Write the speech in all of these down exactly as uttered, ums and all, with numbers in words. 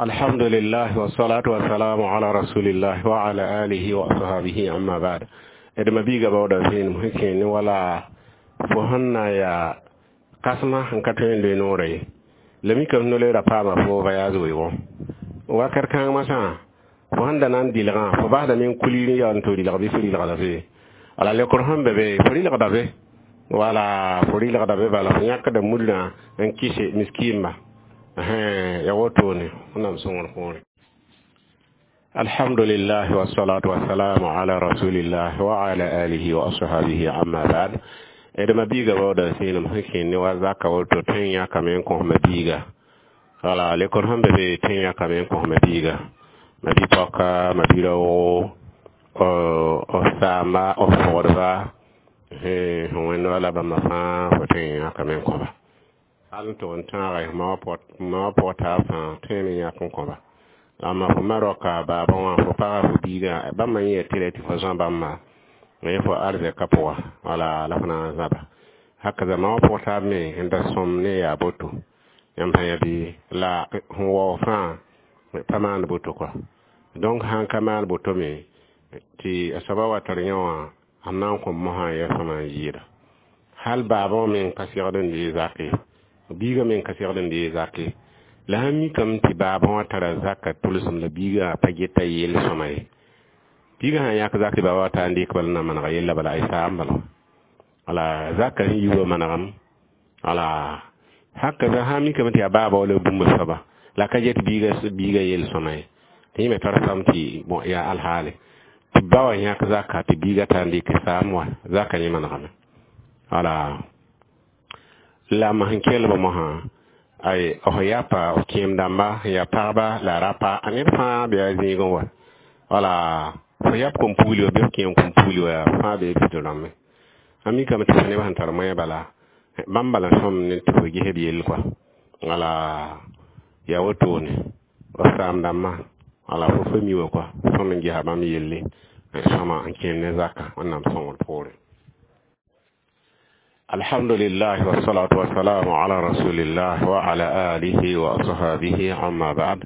Alhamdulillah wassalatu wassalamu ala rasulillah wa ala alihi wa ashabihi, amma ba'd. D mabiiga baooda vẽenem sẽn kẽ ne wala fo sẽn na yaa kãsema n ka tõe n loe noorã ye la mikame no-loeera paama fo voyage weoogẽ wakat kãng masã fo sẽn da na n dɩlgã fo basdame n kulir n yaool n tɩ rɩlg bɩ fo rɩlgda be wala lekr sẽn be be fo rɩlgda be wala fo rɩlgda be bala fo yãkda mudrã n kɩse miskiimba ya wotone wẽnnaam sõngr poorẽ. Alhamdulillah wassalatu wassalamu ala rasulillah wa ala alihi wa ashabihi, amma ba'd. D mabiiga baooda sẽenem sẽn kẽ ne wa zaka woto tõe n yãkame n kõs mabiiga wala lekr sẽn be be tõe n yãkame n kõs mabiiga mabi-paoka mabi-raoogo b saamba b fogdba sẽn wẽnd wala bãmba fãa fo tõe n yãkame n kõba hal n tʋg n tãaga ma wa pʋg taab fãa tõe me yãk n kõba la fo ma roka baabã wã fo paga fo biigã bãmba yẽ tɩ tɩ fo zã bãmba yẽ fo arzɛka pʋga wala la fo na n zãba haka zama wã pʋg taab me n da sõm ne yaa boto yãmb sã yã bɩ la sẽn wao fãa pa maan boto kɔa donc sãn ka maan boto me tɩ a soaba wa tar yã wã sẽn na n kõ mosã n yaa sõma n yɩɩda hal baabã wã me n ka segd n dee zak ye biigã me n ka segd n dee zak ye la sãn mikame tɩ baabã wã tara zaka tʋlsem la biigã pa geta yell sõma ye biigã sã n yãk zak tɩ baaba wa taa n dɩk bala na manega yella bala a saam bala wala zaka sẽn yi wa manegem wala haka sã n mikame tɩ yaa baaba wala bũmb soaba la ka get biigã biigã yell sõma ye tɩ yẽ me tar sam tɩ bon yaa alhaale tɩ ba wã yãk zaka tɩ biigã taa n dɩk saam wa zaka yẽ manegame wala la ma sẽn kelba mosã ay f yapa f kẽem dãmba sẽn yaa pagba la rapa a ned fãa bɩ a zĩigẽ wa wala fo yap kom-pugli wa bɩ f kẽem kom-pugli wa fãa bee bɩsd rãmbẽ a mikame tɩ neb sẽn tar moɛɛ bala bãmb bala sõm ne tɩ fo ges b yell kɔa wala yaa wotone f saam dãmbã wala fo fo mi wa kɔa sõm n gesa bãmb yelle sõma n kẽem ne zaka wẽnnaam sõngr poorẽ. Alhamdulillah wassalatu wassalamu ala rasulillah wa ala alihi wa ashabihi, amma ba'd.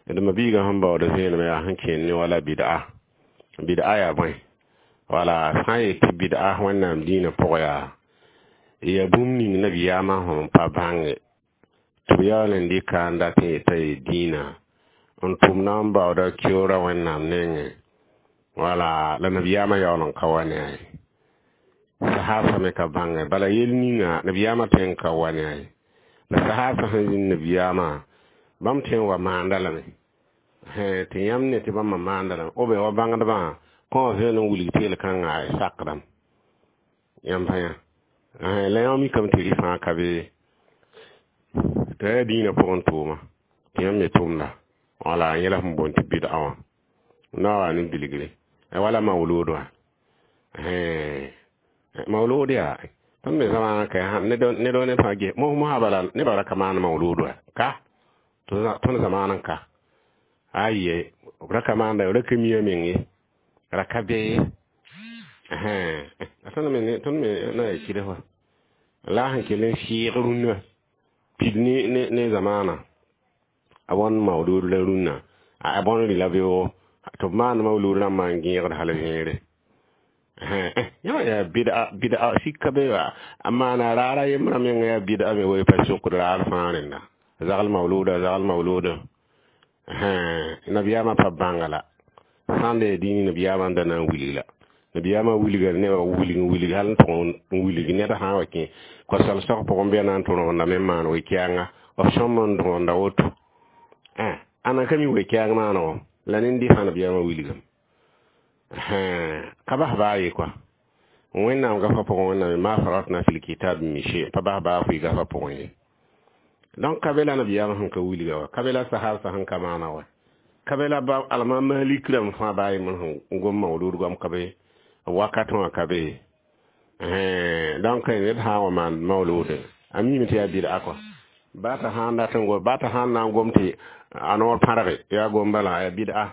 D mabiiga sẽn baooda vẽenem yaa sẽn kẽen ne wala bid'a bid'a yaa bõe wala sã n yet tɩ bid'a wẽnnaam dĩinã pʋgã yaa yaa bũmb ning nabiyaamã sẽn pa bãnge tɩ b yaool n dɩka n dat n yeta ye dĩinã n tʋm na n baooda keoora wẽnnaam nengẽ wala la nabiyaamã yaool n ka wa ne a ye sahaba me ka bãnge bala yel ninga nabiyaamã tõe n ka wa ne a ye la sahaba sẽn zĩnd nabiyaamã bãmb tõe n wa maanda lame tɩ yãmb ne tɩ bãmba maanda lame b wa bãngdbã kõ vẽen n wilg tɩ yel-kãngã sakdame yãmb sã yã la yã mikame tɩ rɩ fãa ka be tɩ yaa dĩinã pʋgẽ tʋʋma tɩ yãmb me tʋmda wala yẽla sẽn boond tɩ bid'a wã na wa ne bilgre wala maulud wã maulud yaa tõnd me zamaana ka ned ne fãa ges mosã bala nebã ra ka maan maulud wa ka tõnd zamaanã n ka aye ra ka maanda ra ka mia meng ye ra ka be ye tõnd me tõnd me na yaa kɩds wa la sẽn kell n sɩɩg rũnnã pid ne ne ne zamaana a bõn maulud la rũnnã a bõn rɩla beoogo tɩ b maan maulud rãmbã n gẽegd hal vẽere yã yaa bid'a bid'a sika be wa a maana raara yembrã menga yaa bid'a me wa pa sokd raar fãa rẽnda zagl mauluda zagl mauluda nabiyaamã pa bãnga la sã n da yaa dĩini nabiyaamã n da na n wilg la nabiyaamã wilga nebã wilg n wilg hal n tʋg n wilg ned sã n wa kẽ kosal-sag pʋgẽ bɩ a na n tʋ rõgenda me n maan we-kɛɛnga b sõm n rõgenda woto ãna ka mi we-kɛɛng maanego la nen-dɩ fãa nabiyaamã wilgame ka bas baa ye kɔa wẽnnaam gafa pʋgẽ wẽnnaam ma faratna fil kitab min shay pa bas baa fʋɩ gafa pʋgẽ ye donc ka be la nabiyaamã sẽn ka wilga wa ka be la sahab sẽn ka maana wa ka be la ba alma malik rãmb fãa baa yembr sẽn gom maulud goam ka be wakat wã ka be donc ned sã n wa maan maulud a mime tɩ yaa bid'a kɔa baa t'a sãn dat n gom baa t'a sãn na n gom tɩ a noor pãrge yaa gom bala yaa bid'a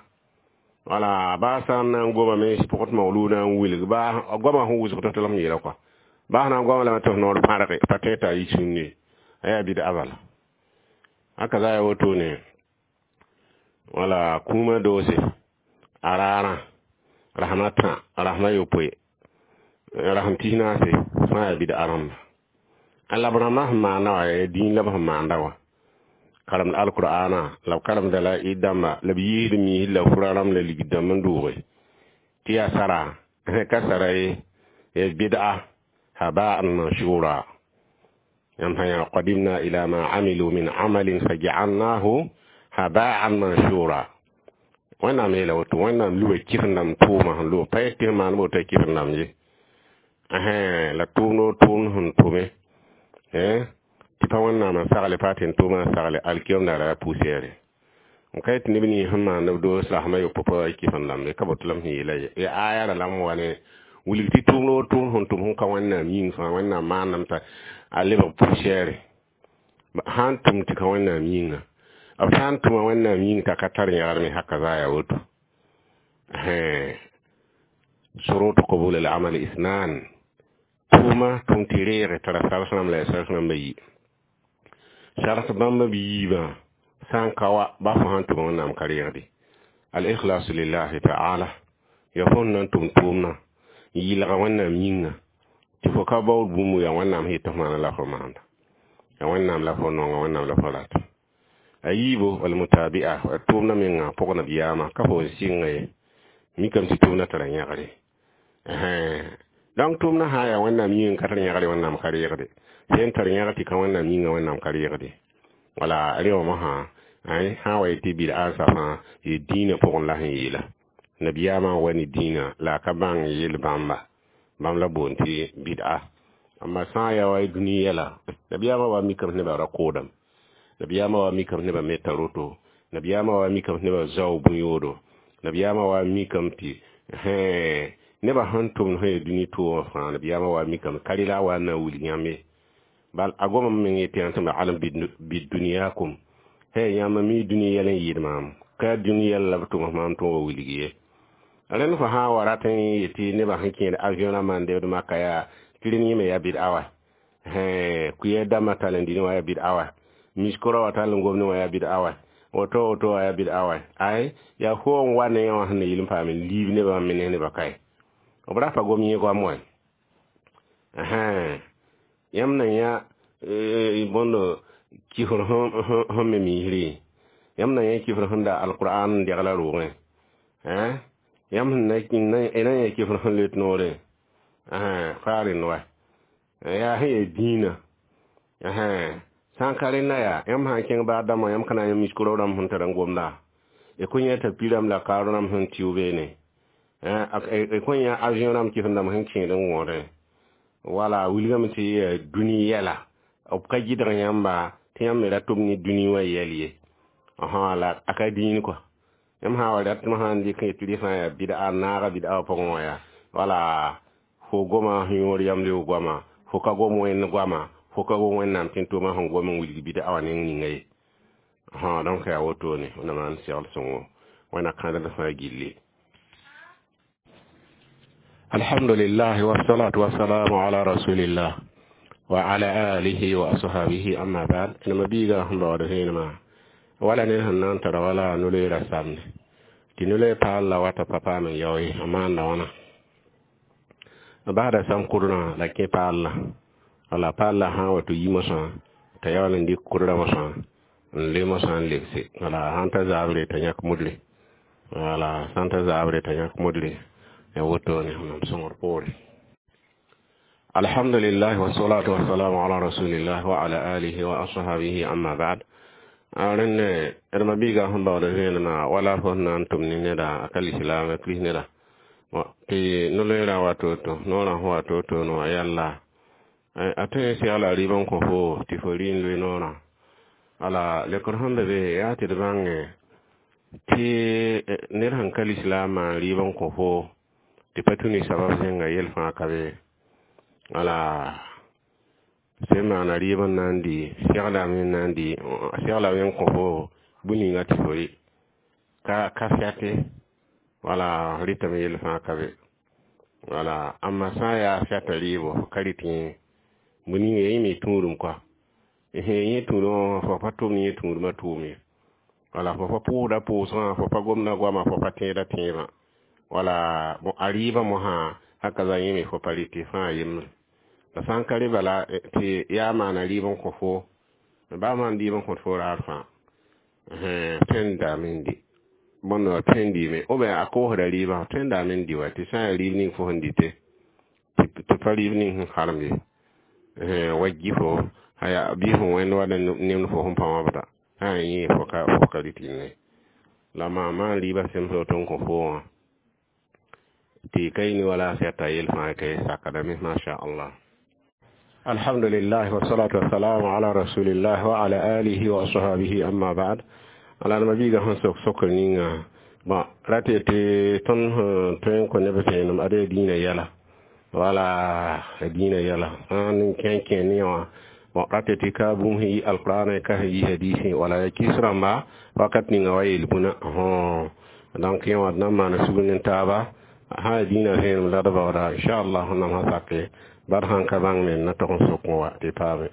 wala baa sã n na n gomame pʋgd maulud n wilg baa goamã sẽn wʋsg tɩ tɩ yeela kɔa baa sã na n goama lame tɩ f noor pãrge pa tõe t'a yi sũnne a yaa bid'a bala haka za ya wotone. Wala kũumã doose a raarã rasem a tã rasem a yopoe rasem tis naase fãa yaa bɩd-a rãmba la b rãmbã sẽn maanda wã yaa dĩin la b sẽn maanda wã karemd alqur'ana la b karemda la ɩd dãmba la b yiisd miisd la fura rãmb la ligd dãmb n dʋʋge tɩ yaa sara ka sara ye ya bid'a haba'an manshura yãmb sã yaa qadimna ila ma amilu min amalin faja'alnahu haba'an manshura wẽnnaam yeela woto wẽnnaam luba kɩs-n-dãmb tʋʋma sẽn loog pa yet tɩ sẽn maan woto a kɩs-n-dãmb ye la tʋʋmd o tʋʋmd sẽn tʋme tɩ pa wẽnnaam n sagle pa tɩ n tʋʋma n sagle alkiyom daara yaa poussière n ka yet tɩ neb nins sẽn maand b doos rasem a yopoe pa wa kɩs-n-dãmbe ka boto la m sẽn yeela ye ya aya ra la m wa ne wilg tɩ tʋʋmd o tʋʋmd sẽn tʋm sẽn ka wẽnnaam yĩng fãa wẽnnaam maandame t'a a lebg poussière sã n tʋm tɩ ka wẽnnaam yĩnga b sã n tʋma wẽnnaam yĩng t'a ka tar yãgr me haka zaa yaa woto شروط قبول العمل اثنان tʋʋma tʋm tɩ reege tara sars rãmb la yaa sars rãmba yi sars bãmba b yiibã sã n ka wa ba fo sãn tʋma wẽnnaam ka reegde al-ikhlasu lillahi ta'ala ya fo n na n tʋm tʋʋmdã n yɩlga wẽnnaam yĩnga tɩ fo ka baood bũmb yaa wẽnnaam sẽn yet tɩ f maana la fo maanda yaa wẽnnaam la fo nonga wẽnnaam la fo rata a yiibo walmutabi'a a tʋʋmdã menga pʋg nabiyaamã ka fo n sɩnga ye mikame tɩ tʋʋmdã tara yãgre donc tʋʋmdã sã n yaa wẽnnaam yĩng ka tar yãgre wẽnnaam ka reegde sẽn tar yãgr tɩ ka wẽnnaam yĩnga wẽnnaam ka reegde wala rẽ wã mosã sã n wa yetɩ bɩd-a n safã yɩ dĩinã pʋgẽ la sẽn yeela nabiyaamã n wa ne dĩinã la a ka bãng yel bãmba bãmb la boond tɩ bɩd-a amma sã n yaa wa dũni yɛla nabiyaamã wa mikame nebã ra koodame nabiyaamã wa mikame nebã meta roto nabiyaamã wa mikame nebã zao bũ-yoodo nabiyaamã wa mikame tɩ nebã sẽn tʋmd sẽn yaa dũni tʋʋmã fãa nabiyaamã wa mikame ka rɩla a wa n na n wilg yãmb ye bal a goma meng yetɩ yãmb tɩ alam biduniyakum he yãmb mi dũni yɛl n yɩɩd maam ka dũni yɛl la b tʋms maam tɩ wa wilg ye rẽnd fo sã n wa rat n yetɩ nebã sẽn kẽed avion rãmbã n debd maka yaa tɩ rẽnd yẽme yaa bɩd-a wa kʋɩ dãmbã tall n dĩnẽ wã yaa bɩd-a wa miskora wa tall n gomdẽ wã yaa bɩd-a wa woto woto wã yaa bɩd-a wa ay yaa fo n wa ne yã wã sẽn na yɩl n paam n liib nebã me ne nebã kae b ra pa gom yẽ goam wa yãmb na yã bõndo kifr sẽn me misrẽ yãmb na yã kifr sẽn da alqur'an n degla roogẽ yãmb sẽn na yã kifr sẽn let noorẽ faa rẽnd wa yaa sẽn yaa dĩinã sã n ka rẽnda yaa yãmb sã n kẽng baag dãmbã yãmb ka na n yã miskoro rãmb sẽn tar n gomda y kõn yã t'a pi rãmb la kaar rãmb sẽn tɩʋ beene y kõn yã avion rãmb kɩs rãmb sẽn kẽed n wõodẽ wala wilgame tɩ yaa dũni yɛla b ka gɩdg yãmba tɩ yãmb me ra tʋm ne dũni wã yɛl ye la a ka dĩin kɔ yãmb sã n wa rat sã n dɩk n yetɩ rɩ sã n yaa bɩd-a n naaga bɩd-a wã pʋgẽ wã yaa wala fo goma sẽn yõod yamleoog goama fo ka gom wẽnd goama fo ka gom wẽnnaam tɩ n tʋʋmã sẽn gom n wilg bɩd-a wã neng ninga ye donc yaa wotone wẽnnaam n segl sõngo wẽnna kãadem fãa gilli الحمد لله والصلاة والسلام على رسول الله وعلى آله وأصحابه أما بعد إنما بيغا هم بعد هنا wala ne sẽn na n tara wala no-loeera samde tɩ no-loe paal la wata pa paam n yao ye a maanda wãna basda sãn kʋdrã la kẽ paal la wala paal la sã n wa tɩ yi mosã t'a yaool n dɩk kʋdrã mosã n le mosã n lebse wala sãn ta zaabre t'a yãk modre wala sãn ta zaabre t'a yãk modre ya wotone mam sõngr poore alhamdulillah wassalatu wassalamu ala rasulillah wa ala alihi wa ashabihi amma ba'd rẽnd d ma-biigã sẽn baood vẽenemã wala fo sẽn na n tʋm ne neda a ka lislaam a kris neda tɩ no-loeerã wa to-to noorã sẽn wa to-to no wã yalla a tõe n segla rɩɩb n kõ fo tɩ fo rɩ n loe noorã wala lekr sẽn be be yaa tɩ d bãnge tɩ ned sẽn ka lislaamã n rɩɩb n kõ fo tɩ pa tũ ne sabab zẽnga yel fãa ka be wala sẽn maana rɩɩb n na n dɩ seglame n na n dɩ seglame n kõ fo bũn ninga tɩ fo rɩ ka ka fɛte wala rɩtame yel fãa ka be wala amma sã n yaa fɛta rɩɩbo fo ka rɩt yẽ bũn ninga yẽ me tũudum koa yẽ tũudum wã fo pa tʋm yẽ tũudumã tʋʋm ye Wala fo pa pʋʋsda pʋʋsgã, fo pa gomda goama, fo pa tẽeda tẽebã. Wala a rɩɩbã mosã haka za yẽme fo pa rɩtɩ fãa yembre. La sã n ka rẽ bala tɩ yaa maana rɩɩb n kõ fo, baa maan rɩɩb n kõt fo raar fãa, tõe n daame n dɩ bõnd wa, tõe n dɩɩme ou bien a koosda rɩɩbã, tõe n daame n dɩ wa, tɩ sã n yaa rɩɩb ning fo sẽn dɩte tɩ pa rɩɩb ning sẽn harem ye. Wa gifo bɩ fo wẽnd wa nemd fo sẽn pa wãbda sã n yẽ fo ka fo ka rɩt ne la maa maan rɩɩbã sẽm woto n kõ fo wã tɩ ka yĩni wala a sɛta yel fãa ka sakdame. Masha Allah. Alhamdulillah, wassalatu wassalamu ala rasulillah wa ala alihi wa ashabihi, amma ba'd. Ala mabiiga sẽn sok sokr ninga bon rate tɩ tõnd sẽn tõe n kõ neb vẽenem ad yaa dĩinã yɛla, wala dĩinã yɛla sãn n kẽ kẽ ne wã. Bon rate tɩ ka bũmb sẽn yi alqurana, ka sẽn yi hadisẽ, wala ya kis rãmba wakat ninga wa yel bũna. Donc yẽ wã d na n maana sugr ne taaba sã yaa dĩinã vẽenem la d baooda inchallah. Wẽnnaam sã sake bad sãn ka bãng me na tog n sok n wa tɩ paame.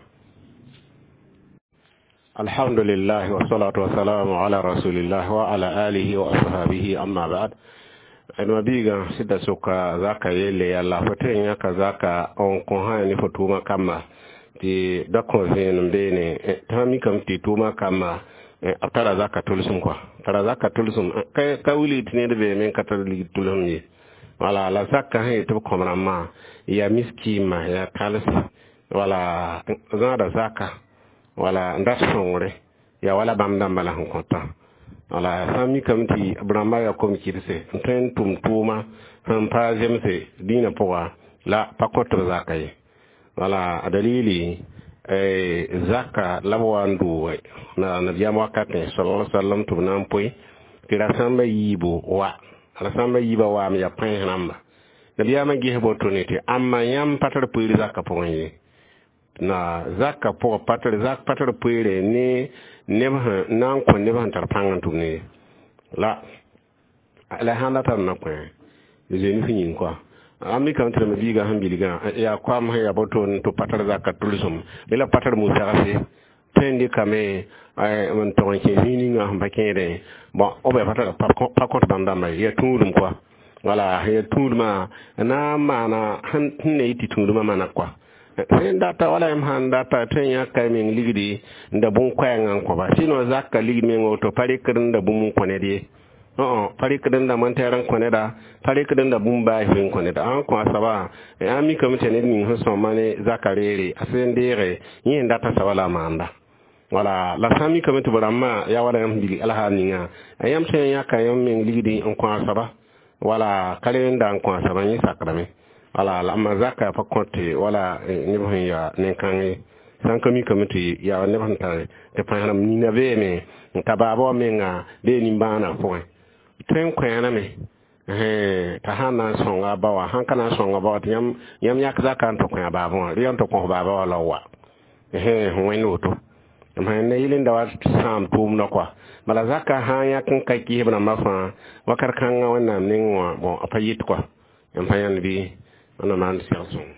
Alhamdulillah, wassalatu wassalamu ala rasulillah wa ala alihi wa ashabihi, amma ba'd. D mabiigã sɩda soka zaka yelle yalla fo tõe n yãka zaka n kõ sã ne fo tʋʋmã kamba tɩ da kõ vẽenem beene tɩ sã mikame tɩ tʋʋmã kamba b tara zaka tʋlsem kɔa, tara zaka tʋlsem ka wilg tɩ ned beeme n ka tar ligd tʋlsem ye. Wala la zaka sẽn yetɩ b kõm rãmbã yaa miskiimã, yaa tals, wala zãada zaka, wala n dat sõngre yaa wala bãmb dãmbã la sẽn kõtã. Wala sã n mikame tɩ b rãmbã yaa kom-kɩdse n tõe n tʋm tʋʋma sẽn pa zemse dĩinã pʋga la pa kõt b zaka ye. Wala a dalili zaka la b wa n doog na nabiyaam wakatẽ sallallahu alaihi wasallam tɩ b na n poe tɩ rasãmbã yiibo wa, rasãmbã yiibã waam yaa pãens rãmba. Nabiyaamã ges boto ne tɩ ãmba yãmb pa tar poeer zaka pʋgẽ ye, na zaka pʋgã pa tar zak, pa tar poeere ne neb sẽn na n kõ neb sẽn tar pãng n tʋm ne la la sãn la tar na kõ zoe f yĩng kɔa. A mikame tɩ rãmba biigã sẽn bilgã yaa koam sẽn yaa boto tɩ pa tar zaka tʋlsem bɩ la pa tar musagse tõe n dɩkame n tog n kẽ zĩig ninga sẽn pa kẽedẽ. Bon, ou bien pa kõt bãmb dãmba ye, yaa tũudum kɔa. Wala yaa tũudmã na n maana sẽn ne yɩ tɩ tũudmã mana kɔa sẽn data wala yãmb sãn data tõe n yãka meng ligdi n da bũn-koɛɛngã n kõba, sɩno zaka ligd meng woto pa rɩkd n da bũmb n kõ ned ye, pa rɩkd n da montɛɛr n kõ neda, pa rɩkd n da bũmb baas n kõ neda. Ãn kõ a soaba ã mikame tɩ ned ning sẽn sõma ne zaka reere a sẽn deege yẽ n data soaba la a maanda. Wala la sã n mikame tɩ b rãmbã yaa wala yãmb sẽn bilg alhaal ninga yãmb tõe n yãka yãmb meng ligdi n kõ a soaba, wala ka re n da n kõ a soaba yẽ sakdame. Wala la amma zaka pa kõte wala neb sẽn yaa nen-kãng ye. Sã n ka mikame tɩ yaa neb sẽn tar tɩ pãs rãmb nina beeme n ta baaba wã menga bee nimbãanã pʋgẽ tõe n koɛɛname t'a sãn na n sõnga a ba wã, sãn ka na n sõnga ba wã tɩ yãmb yãk zaka n tɩ kõ a baabã wã, rɩ n tɩ kõs baaba wã la wa sẽn wẽnd woto ne yɩl n da wa sãam tʋʋmdã kɔa. Bala zaka sã n yãk n ka kɩsb rãmbã fãa wakat kãngã Wẽnnaam neng wã, bon, a pa yɩt kɔa n pa yãnd bɩ wẽnnaam maan sɛg sõng.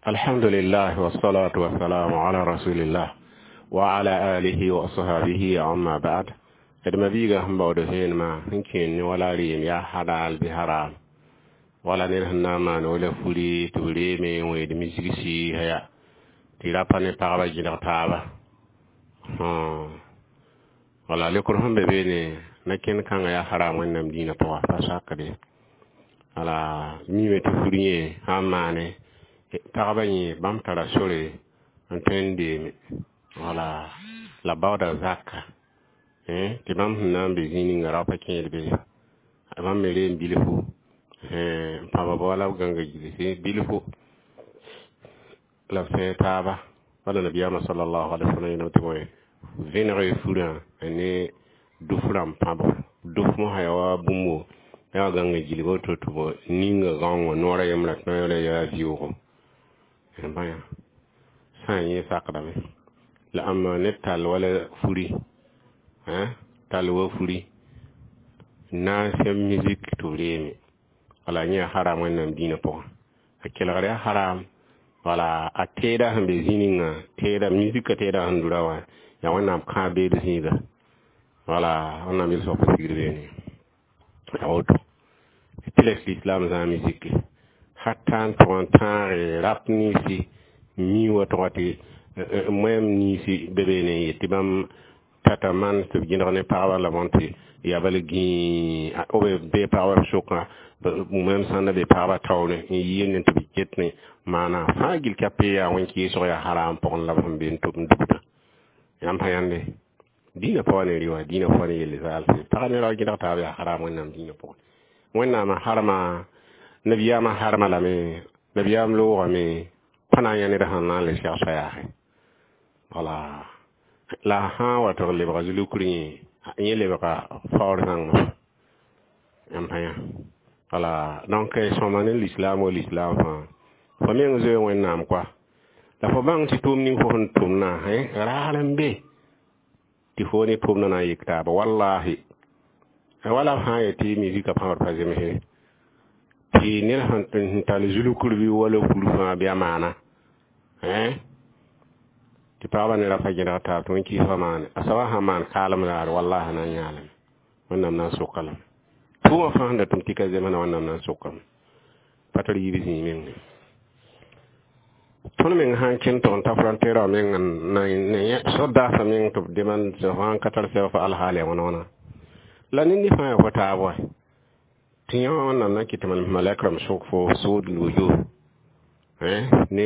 Alhamdulillah, wassalatu wassalamu ala rasulillah wa ala alihi wa ashabihi, amma ba'd. D mabiigã sẽn baood vẽenemã sẽn kẽen ne wala reem yaa halal bɩ haram, wala ned sẽn na n maan wala furi tɩ b reeme n wẽed misgsi ya tɩ ra pa ne pagba gẽdg taaba. Wala lekr sẽn be beene na kẽnd kãngã yaa haram Wẽnnaam dĩinã pʋga pa sakde. Wala mime tɩ fur yẽ sã n maane pagba yẽ bãmb tara sore n tõe n deeme, wala la baooda zaka tɩ bãmb sẽn na n be zĩig ninga rao pa kẽed be bãmb me reem bilfu n pãba ba wala b gãnga gilsi bilfu la b sẽe taaba. Wala nabiyaamã sallallahu alaihi wasallam yeelame tɩ bõe vẽneg furã ne duf rãmb pãb duf mosã yaa wa bũmbo yaa gãnga gilg woto tɩ b ninga gãongã noorã yembrã tõeerã yaa vɩʋʋgo bãya sã n yẽ sakdame. La ãmba ned tall wala furi tall wa furi na n sẽm musique tɩ b reeme, wala yẽ yaa haram Wẽnnaam dĩinã pʋgã, a kelgr yaa haram. Wala a teeda sẽn be zĩ ninga teeda musika teeda sẽn dura wã yaa Wẽnnaam kãab beed zĩiga. Wala wẽnnaam yel soab pa sigd beene ya woto tɩ les l'islam zã musique hatta n tʋg n tãage rap ninsi mi wa tʋga tɩ moɛm ninsi be beene n yet tɩ bãmb tata man tɩ b gẽdg ne pagba la bõn tɩ yaa bala gĩi b bee pagba b sʋkã moɛm sãn da be pagba taoore n yɩɩl ne tɩ b ket ne maana fãa gill ka pe yaa wẽn-kɩɩsg yaa haram pʋgẽ la b sẽn be n tʋm n dugdã yãmb pa yãnde dĩinã pa wa ne rɩ wã dĩinã pa wa ne yelle zaalse pagã ne rao gẽdg taab yaa haram wẽnnaam dĩinã pʋgẽ wẽnnaamã harma nabiyaamã harma lame nabiyaam loogame pa na n yã ned sẽn na n le segsa yaase wala la sã n wa tɩ b lebga zulukr yẽ yẽ lebga faoor zãngmã yãmb pa yã wala donc sõma ne l'islam wa l'islam fãa fo meng zoe wẽnnaam koa la fo bãng tɩ tʋʋm ning fo sẽn tʋmna raar n be tɩ fo ne tʋʋmdã na n yik taaba wallahi wala b sã n yet tɩ musika pãbd pa zemse tɩ ned sẽn tall zulukr bɩ wala fur fãa bɩ a maana tɩ pagba ne ra pa gẽdg taab tɩ wẽn-kɩɩsgã maane a soabã sãn maan kaalem raare wallahi na n yãalame wẽnnaam na n sʋka lame tʋʋmã fãa sẽn da tʋm tɩ ka zemsna wẽnnaam na n sʋkame pa tar yiib zĩig meng tõnd meng sã n kẽnd tɩg n ta frontière wã meng n sodaasã meng tɩ b demande sã n ka tar sɛbg fa alhaal ya wãna wãna la ned ne fãa yaa fo taab wa tɩ yã wẽnnaam na n kɩt tɩ malɛk rãmb sʋk fo sood wujuh ne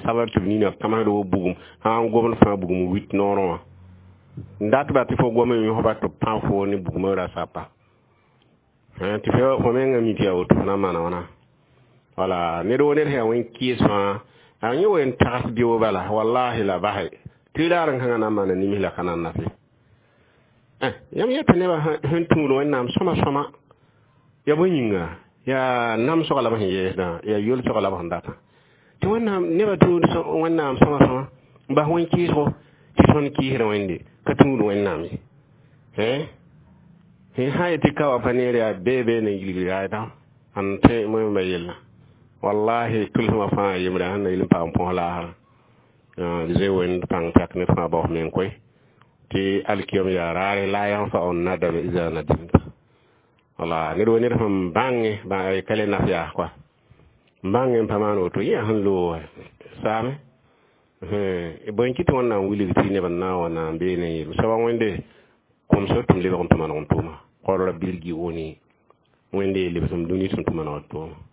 sabr tɩ b nina kãmsd wo bugum sã n gomd fãa bugum wit noorẽ wã n dat ba tɩ fo gom n yõsba tɩ b pãb fo ne bugmã ra sapa tɩ fo mengã mi tɩ yaa woto fo na n maana wãna wala ned wo ned sẽn yaa wẽn-kɩɩs fãa a yẽ wen tags beo bala wallahi la base tɩ raar n kãngã na n maana nims la ka na n nafe yãmb yeta nebã sẽn tũud wẽnnaam sõma sõma yaa bõe yĩnga yaa namsga la b sẽn yeesdã yaa yolsga la b sẽn datã tɩ wẽnnaam nebã tũud wẽnnaam sõma sõma n bas wẽn-kɩɩsgo tɩ tõnd kɩɩsd wẽnde ka tũud wẽnnaam ye sã yetɩ ka wa pa neer yaa bee bee ne gilgr yaayda n tẽ moẽmba yella wallahi tʋlsmã fãa yembre sẽn na yel n paam põs laasrã zoe wẽnd pãng tak ne fãa baoos meng koe tɩ alkiyom yaa raare la yanfa'u nadam iza nadimta wala ned wo ned sẽn bãnge ka le naf yaas koa n bãnge n pa maan woto yẽ sẽn loog saame bõe n kɩ tɩ wẽnnaam wilg tɩ neb n na n wa na n beene n yeel soaba wẽnde kʋmsg tɩ m lebg n tɩ maneg n tʋʋma qal rabbi irji'uni wẽnde lebsem dũni tɩ m tɩ maneg tʋʋma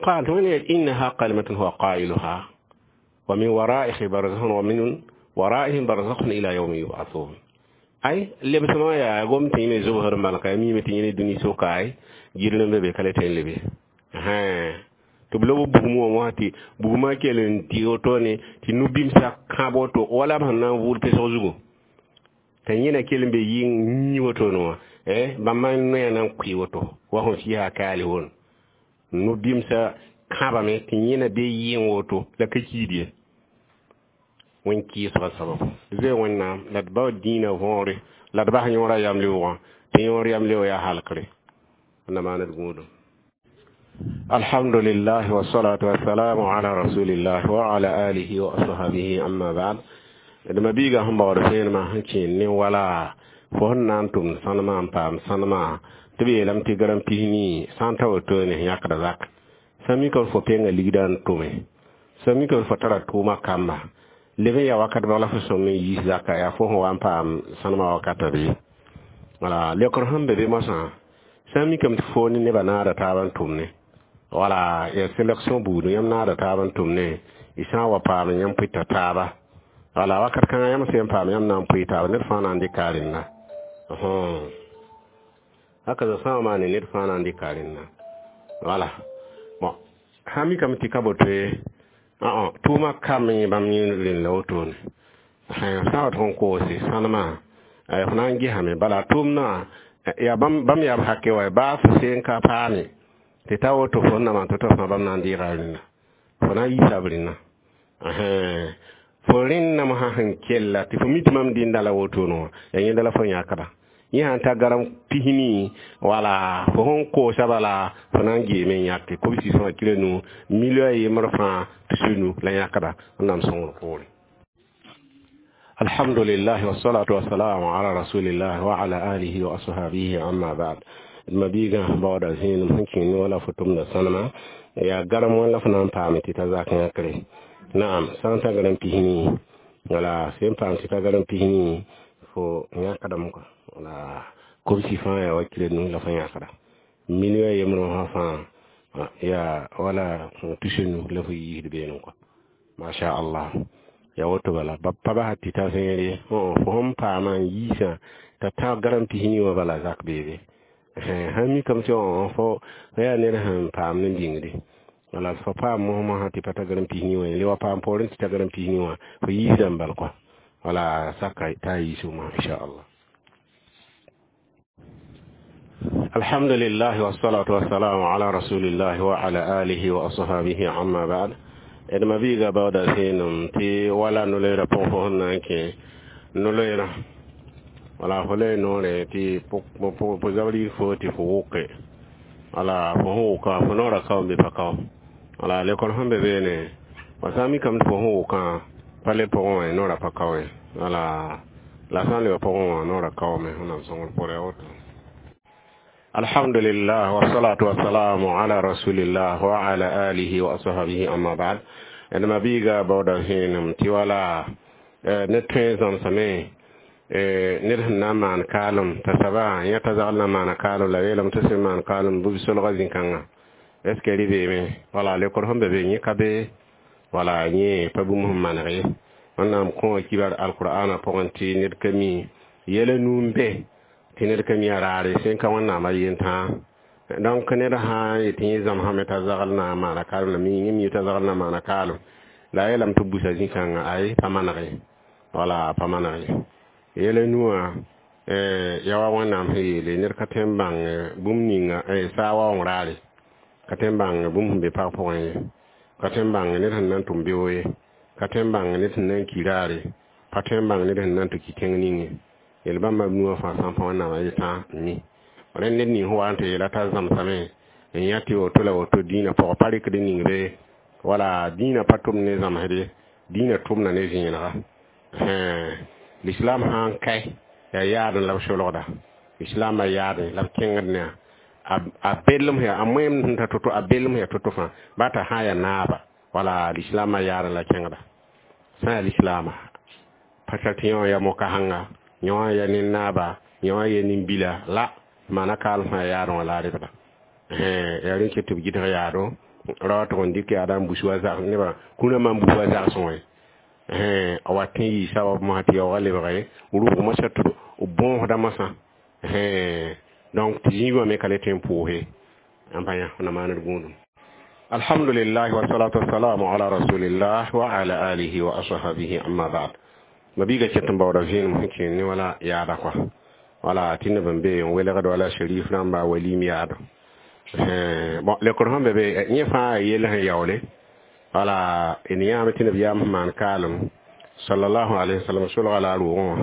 قال هنا إنها كلمة هو قائلها ومن ورائه برزخ ومن ورائهم برزخ إلى يوم يبعثون أي اللي بس ما يا قوم تيني زوهر مالك مي متيني دني سوكاي جيرن بebe kale ten lebe ha to blo bugumu mo hati buguma kelen ti otone ti nubim sa kabo to wala man na wul pe so zugo tan yena kelen be yin ni woto no eh bãmb noya na n kʋɩ woto wa sẽn fiisa kaale won no-bɩmsã kãbame tɩ yẽna bee yɩɩn woto la ka kiid ye wẽn-kɩɩsgã sababu zoe wẽnnaam la d bao dĩinã võore la d bas yõorã yam leoogã tɩ yõor yam leoog yaa halkre na maan d gũudum الحمد لله والصلاة والسلام على رسول الله وعلى آله وأصحابه أما بعد d mabiiga sẽn baood fẽenemã sẽn kẽen ne wala fo sẽn na n tʋmd sãnemã n paam sãnemã tɩ b yeelame tɩ garam pis-nii sã n ta woto ne yãkda zak sã mika fo penga ligda n tʋme sã mika fo tara tʋʋma kamba leb n yaa wakat bag la fo sõm n yiis zaka yaa fo sẽn wa n paam sãnemã wakata bɩ wala leokr sẽn be be moasã sã n mikame tɩ fo ne nebã naada taab n tʋm ne wala ya sélection buudũ yãmb naada taab n tʋm ne y sã n wa paam yãmb pʋɩta taaba wala wakat kãngã yãmb sẽn paam yãmb na n pʋɩ taaba ned fãa na n dɩka a rẽnna haka sã n maane ned fãa na n dɩka a rẽnna wala bon sã mikame tɩ ka boto ye tʋʋma kam yẽ bãmb yẽ rẽnd la wotone sã wa tɩ n koose sãnemã f na n gesame bala tʋʋmdã yaa bãmb yaa b hake wa baa fo seen ka paame tɩ ta woto fo na maan tɩ-tɩ fãa bãmb na n deega rẽnna fo na n yiisa b rẽnna fo rẽnname sã sẽn kella tɩ fo mi tɩ mam dẽnda la wotone wã yaa yẽnda la fo yãkda yẽ sãn ta garam pis-nii wala fo sẽn koosa bala fo na n geeme n yãke kobsi fãa kila nu million a yembr fãa tus nu la yãkda wẽnnaam sõngr poore الحمد لله والصلاة والسلام على رسول الله وعلى آله وأصحابه أما بعد mabiigã baooda zẽenem sẽn kẽnd wala fo tʋmda sãnema yaa garem wã la fo na n paame tɩ ta zak yãkre naam sã n ta garem pis-nii wala sẽn paam tɩ ta garem pis-nii fo yãkdame kɔa wala kobsi fãa yaa wa kilo nu la fo yãkda million yembrẽ wã fãa yaa wala tus nu la fo yiisd beene kɔa masha allah ya woto bala ba pa bas tɩ ta zẽer ye fo sẽn paama n yiisã t'a ta garem pis-nii wã bala zak beebe sãn mikame tɩ fo yaa ned sẽn paam ne bĩngde wala fo paam mos mosã tɩ pa ta garem pis-nii wã le wa paam poorẽ tɩ ta garem pis-nii wã fo yiisdame bal kɔa wala saka t'a yiisg mosã inchallah الحمد لله والصلاة والسلام على رسول الله وعلى آله وأصحابه أما بعد d mabiiga baooda zẽenem tɩ wala no-loeerã pʋgẽ fo sẽn na n kẽ no-loeerã wala fo la noore tɩ fo zabr yik fo tɩ fo wʋke wala fo sẽn wʋka fo noorã kao n be pa kao wala lekol sẽn be beene wa sã n mikame tɩ fo sẽn wʋkã pa le pʋgẽ wã noorã pa kao ye wala la sã n lebã pʋgẽ wã noorã kaoome wẽnnaam sõngr pʋgẽ yaa woto الحمد لله والصلاة والسلام على رسول الله وعلى آله وأصحابه أما بعد d mabiiga baooda zẽenem tɩ wala ned tõe zãmsame ned sẽn na n maan kaalem t'a soaba yã t'a zagl na n maana kaalem la yeelame tɩ sẽn maan kaalem bɩ solga zĩ-kãngã est ce que rɩ beeme wala lekor sẽn be be yẽ ka be wala yẽ pa bũmb sẽn maneg ye wẽnnaam kõ kibar alqur'ana pʋgẽ tɩ ned ka mi yɛla nuu n be tɩ ned ka mi a raare sẽn ka wẽnnaamã yentã donc ned sã n yetɩ yẽ zãmsame t'a zagl na n maana kaalem la mi yẽ mi t'a zagl na n maana kaalem la a yeelame tɩ busa zĩ-kãngã ay pa maneg ye wala pa maneg ye yɛla nuwã ya wa wẽnnaam sẽn yeele ned ka tõe n bãng bũmb ninga saa waoong raare ka tõe n bãng bũmb sẽn be pag pʋgẽ ye ka tõe n bãng ned sẽn na n tʋm beoog ye ka tõe n bãng ned sẽn na n ki raare pa tõe n bãng ned sẽn na n tɩ ki tẽng ning ye yel bãmba b nuwã fãa sã n pa wẽnnaamã yetã n mi rẽnd ned ning sẽn wa n tɩ yeela t'a zãmsame n yã tɩ woto la woto dĩinã pʋgã pa rɩkd ning be wala dĩinã pa tʋmd ne zãmsd ye dĩinã tʋmda ne zẽenega l'islam sã n kae yaa yaadẽ la b solgda islaamã yaadẽ la b kẽngd ne a bellem a moem sẽn ta to-to a bellem yaa to-to fãa ba t'a sã n yaa naaba wala lislaamã yaadẽ la kẽngda sã n yaa lislaama pa tar tɩ yõ ya mo-kasengã yõ ya nin-naaba yõ ya nin-bila la maana kaalem sã yaadẽ wã la a rɩbda yaa rẽn ket tɩ b gɩdg yaado ra tʋg n dɩk yaada n bus wa zag nebã kũnã man bus wa zagsẽ wã a wat n yɩ sabab mosã tɩ yaoogã lebge rʋg mosã tɩ b bõosda mosã donc tɩ zĩigã me ka le tõe n pʋʋse n pa yã na maand gũudum الحمد لله والصلاة والسلام على رسول الله وعلى آله وأصحابه أما بعد mabiiga ket n baooda zẽenem sẽn kẽnd ne wala yaada kɔa wala tɩ neb n be n welgd wala sharif rãmba walim yaado bon lekor sẽn be be yẽ fãa yell sẽn yaoole wala d yãame tɩ neb yaam sẽn maan kaalem sallallahu alaihi wasallam solga la a roogẽ wã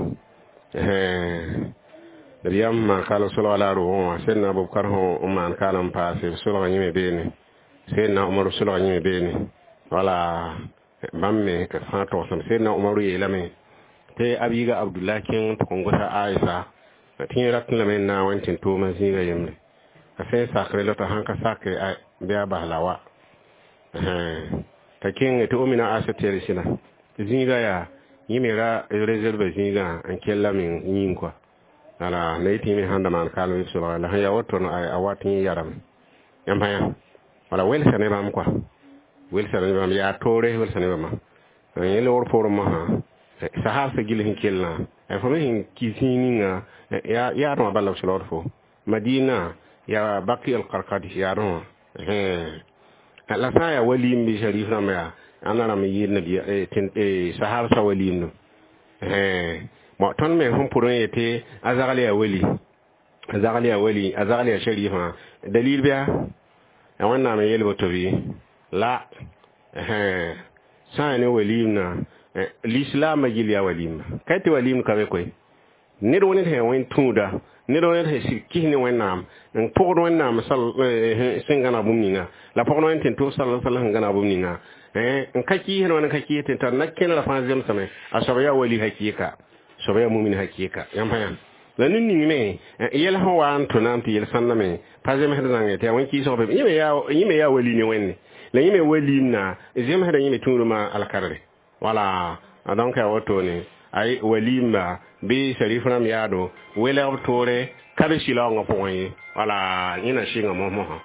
neb yaam sẽn maan kaalem solga la a roogẽ wã sẽdna Abubakar sẽn maan kaalem n paase b solga yẽme beene sẽdna Umaru solga yẽme beene wala bãmb me fãa togsame sẽdna Umaru yeelame tɩ a biiga Abdullah kẽng tɩ kõn gosa Aisha tɩ yẽ ratẽ lame n na n wa n tɩ n toomã zĩiga yembre a sẽn sakre la t'a sãn ka sake bɩ a bas la wa t'a kẽnge tɩ omina Aisha tɩ sɩda zĩiga yaa yẽ me ra réserve zĩigã n kell me yĩng kɔa wala la yetɩ yẽ me sãn da maan kaalem b solga la sẽn yaa woto a wat yẽ yarame yãmb pa yã wala welsa ne bãmb kɔa welsa ne bãmb yaa toore welsa ne bãmba yẽ loogr poorẽ mosã sahab sã gil sẽn kellã fo me sẽn ki zĩig ninga yaadẽ wã bala b solgd fo Madina yaa Baki al-Qarqadi yaadẽ wã la sã n yaa walim bɩ sharif rãmba yaa ãnda rãmb n yɩɩd nabiya sahab sã walimdo bon tõnd me sẽn pʋr n yetɩ a zagl yaa wali a zagl yaa wali a zagl yaa sharifã dalil bɩa ya wẽnnaam n yeel woto bɩ la sã n yaa ne walimna lislaamã gill yaa walimba ka tɩ walim ka be koe ned wẽnd sẽn wẽn tũuda Ned wã sẽn sig kis ne Wẽnnaam n pʋgd Wẽnnaam sẽn gãneg bũmb ninga la pʋgd Wẽnd tẽn-tʋʋs sal sal sẽn gãneg bũmb ninga n ka kɩɩsd wã n ka kɩɩs tɩ tar na-kẽnerã fãa zemsame a soab yaa wali hakɩɩka soab yaa mumin hakɩɩka yãmb pa yã la ned ning me yɛl sẽn wa n tʋ naam tɩ yel sãnda me pa zemsd zãnge tɩ yaa wẽn-kɩɩsg be yẽ me yaa wali ne Wẽnde la yẽ me waliimna zemsda yẽ me tũudmã alkadre wala donc yaa wotone ay walimba bɩ sharif rãmb yaado welg b toore ka be sɩlaoongã pʋgẽ ye wala yẽ na sɩnga mos-mosã.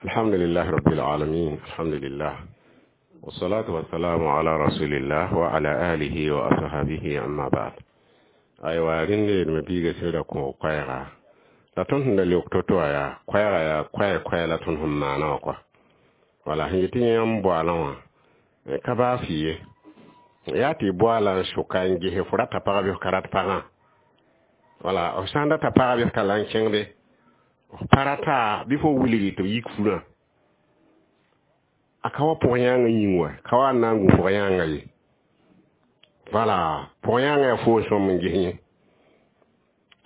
Alhamdulillah rabbil alamin, alhamdulillah, wassalatu wassalamu ala rasulillah wa ala alihi wa ashabihi, amma ba'd. Aywa, rẽnd me biiga sẽda kõ koɛɛga la tõnd sẽn da leok to-to wã yaa koɛɛga yaa koɛɛ koɛɛ la tõnd sẽn maana wã kɔa wala sẽn yetɩ yãmb boalã wã ka baa fɩ ye yaa tɩ boala n sʋka n gese fo rata pagã bɩ f ka rat pagã wala f sã n data pagã bɩ f talla n kẽngde f pa rata bɩ fo wilgi tɩ b yik furã a ka wa pʋg yãangã yĩng wa ka wa n na n gũ pʋg yãangã ye wala pʋg yãangã yaa foos sõm n ges yẽ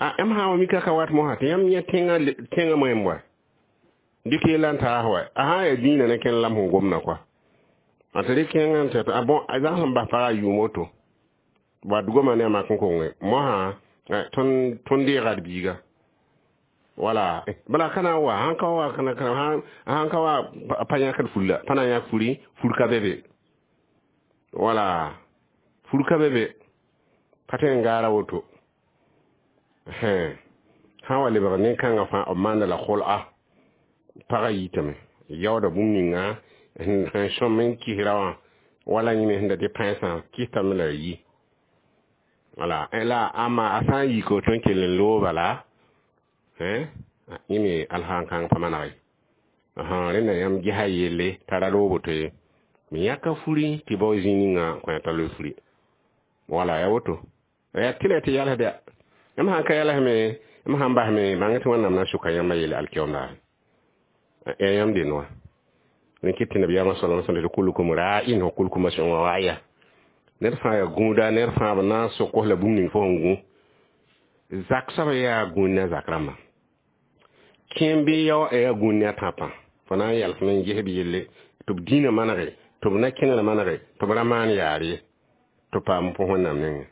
a yãmb sã n wa mika ka wat mosã tɩ yãmb yẽ tẽngã tẽngã moẽm wa dɩk yella n taas wa a sã n yaa dĩinã ne kẽnd lam sẽn gomda kɔa a tɩ rɩk kẽngã n tɩ a bõn a zãgs n bas pagã yʋʋm woto wa dgoma ne a mak n konge mosã tõnd tõnd deega d biiga wala bala kana wa sãn ka wa kana kana sãn ka wa pa yãkd fur la pa na n yãk furi fur ka be be wala fur ka be be pa tõe n gaara woto sã wa lebg nin-kãngã fãa b maanda la kol'a pagã yitame yaooda bũmb ninga sẽn sõm n kisra wã wala yẽ me sẽn da dɩ pãensã kɩstame la yi wala la ama a sã n yik woto n kell n loog bala yẽ me alsaan kãng pa maneg ye rẽnda yãmb gesa yelle t'a ra loog woto ye me yãka furi tɩ bao zĩig ninga kõ t'a loe furi wala ya woto ya tɩ la tɩ yalsd ya yãmb sãn ka yalsme yãmb sãn basme bãng tɩ Wẽnnaam na sʋka yãmba yelle alkiyoom daare ya yãmb dend wã rẽ kɩt tɩ nabiyaamã sala sallam tɩ kullukum ra'in wa kullukum mas'ulun an ra'iya ned fãa yaa gũuda ned fãa b na n sok la bũmb ning fo sẽn gũ zak soab yaa gũud ne a zak rãmbã kẽem bɩ yao yaa gũud ne a tãpã fo na n yalsme n ges b yelle tɩ b dĩinã manege tɩ b na-kẽnerã manege tɩ b ra maan yaar ye tɩ paam pʋs Wẽnnaam nengẽ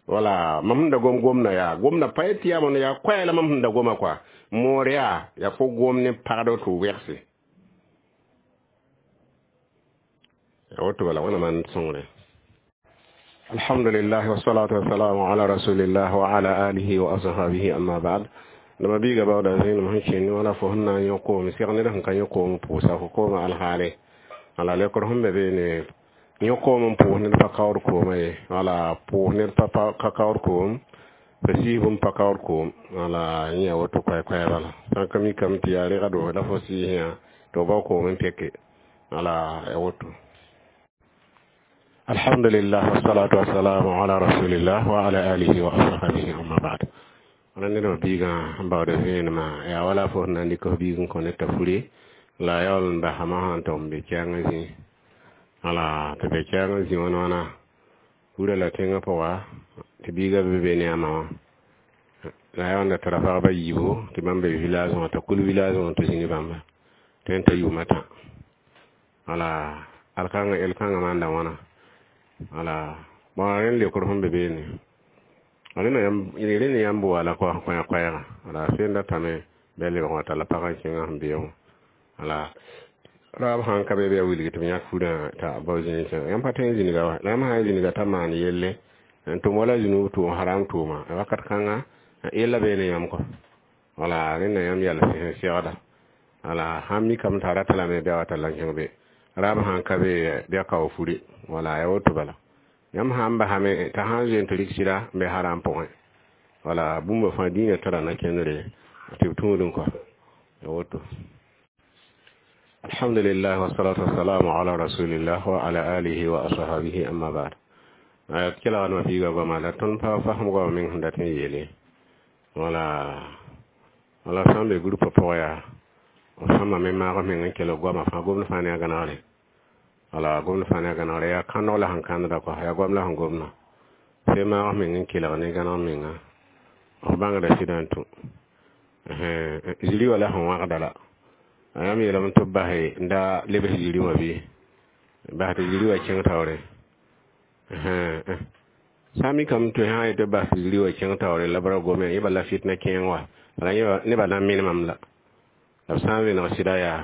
wala mam sẽn da gom gomda yaa gomda pa yetɩ yaa mondo yaa koɛɛ la mam sẽn da goma kɔa moor yaa yaa fo gom ne pagd tɩ wegse woto bala wẽnnaam n sõngre. Alhamdulillah, wassalatu wassalamu ala rasulillah wa ala alihi wa ashabihi, amma ba'd. Dama biiga baooda zẽenem sẽn kẽnd wala fo sẽn na n yõ koom seg ned sẽn ka yõ koom pʋʋsa fo kooma alhaale wala lekr sẽn be beene yõ koom n pʋʋs ned pa kaood kooma ye wala pʋʋs ned pa ka kaood koom pa siisb n pa kaood koom wala yẽ yaa woto koɛ-koɛɛ bala sã n ka mikame tɩ yaa regdo la fo sɩɩsẽ tɩ f bao koom n peke wala ya woto. Alhamdulillah, wassalatu wassalamu ala rasulillah wa ala alihi wa ashabihi, amma ba'd. Wala ned wã biigã n baood vẽenemã yaa wala fo sẽn na n dɩk f biig n kõ ned t'a furi la a yaool n basame sã n tʋg n be kɛɛngã zĩ wala tɩ be kɛɛngã zĩ wãn wãna furã la tẽngã pʋga tɩ biigã be be ne a ma wã la a yaool n da tara pagba yiibu tɩ bãmb be village wã t'a kul village wã tɩ zĩ ne bãmba tɩ n ta yʋʋm a tã wala alkãngã el-kãngã maanda wãna wala bõn rẽnd lekr sẽn be beene rẽnd yãmb wala kõ koɛɛga wala sẽn datame bɩ lebg wã talla pagã n kẽngã sẽn be wã wala raab sãn ka be bɩ a wilg tɩ b yãk furã t'a bao zĩig yãmb pa tõe n zĩniga wa la yãmb sã n zĩniga t'a maan yelle n tʋm wala zũnub tʋʋm haram tʋʋma wakat kãnga yella beene yãmb kɔ wala rẽnda yãmb yals sẽn segda wala sãn mikame t'a rata lame bɩ a wa talla n kẽng be raab sãn ka be bɩ a kao furi wala ya woto bala yãmb sã n basame t'a sã n zoe n tɩ rɩk sɩda n be haram pʋgẽ wala bũmba fãa dĩinã tara na-kẽndre tɩ b tũudẽ kɔa ya woto. Alhamdulillah, wassalatu wassalamu ala rasulillah wa ala alihi wa ashabihi, amma ba'd. Ayat kelgdmã biiga goama la tõnd pa fasem goama meng sẽn dat n yeele wala wala sã n be groupa pʋgã yaa b sõma me maag meng n kelg goama fãa gomd fãa ne a gãnegre wala gomd fãa ne a gãnegre yaa kãndg la sẽn kãndda kɔa yaa goam la sẽn gomdã sẽn maag meng n kelg ne gãneg menga f bãngda sɩdã n tũ ziri wã la sẽn wãgda la yãmb yeelame tɩ b bas n da lebs ziri wã bɩ bas tɩ ziri wã kẽng taoore sã n mikame tɩ sã n yetɩ b bas tɩ ziri wã kẽng taoore la b ra gome yẽ bala fitna kẽeng wa bala nebã na n menemame la la b sã n vẽneg sɩda yaa